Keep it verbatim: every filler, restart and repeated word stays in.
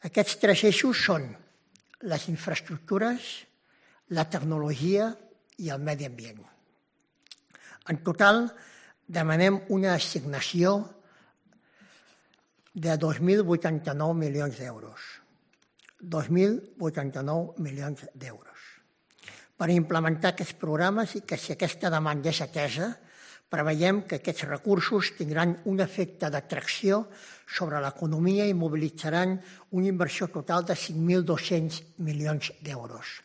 Aquests tres eixos són les infraestructures, la tecnologia i el medi ambient. En total, demanem una assignació de dos mil vuitanta-nou milions d'euros. dos mil vuitanta-nou milions d'euros. Per implementar aquests programes i que si aquesta demanda és atesa, preveiem que aquests recursos tindran un efecte d'atracció sobre l'economia i mobilitzaran una inversió total de cinc mil dos-cents milions d'euros.